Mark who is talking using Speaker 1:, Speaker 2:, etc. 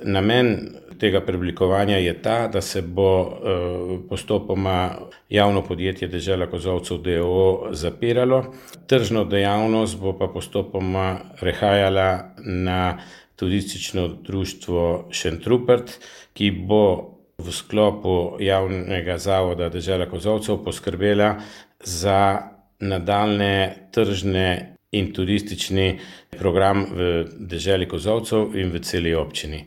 Speaker 1: Namen tega preoblikovanja je ta, da se bo postopoma javno podjetje Dežela Kozolcev d. o. o. zapiralo, tržno dejavnost bo pa postopoma prehajala na Turistično društvo Šentrupert, ki bo v sklopu javnega zavoda Dežela Kozolcev poskrbela za nadaljnje tržne in turistični program v deželi Kozolcev in v celi občini.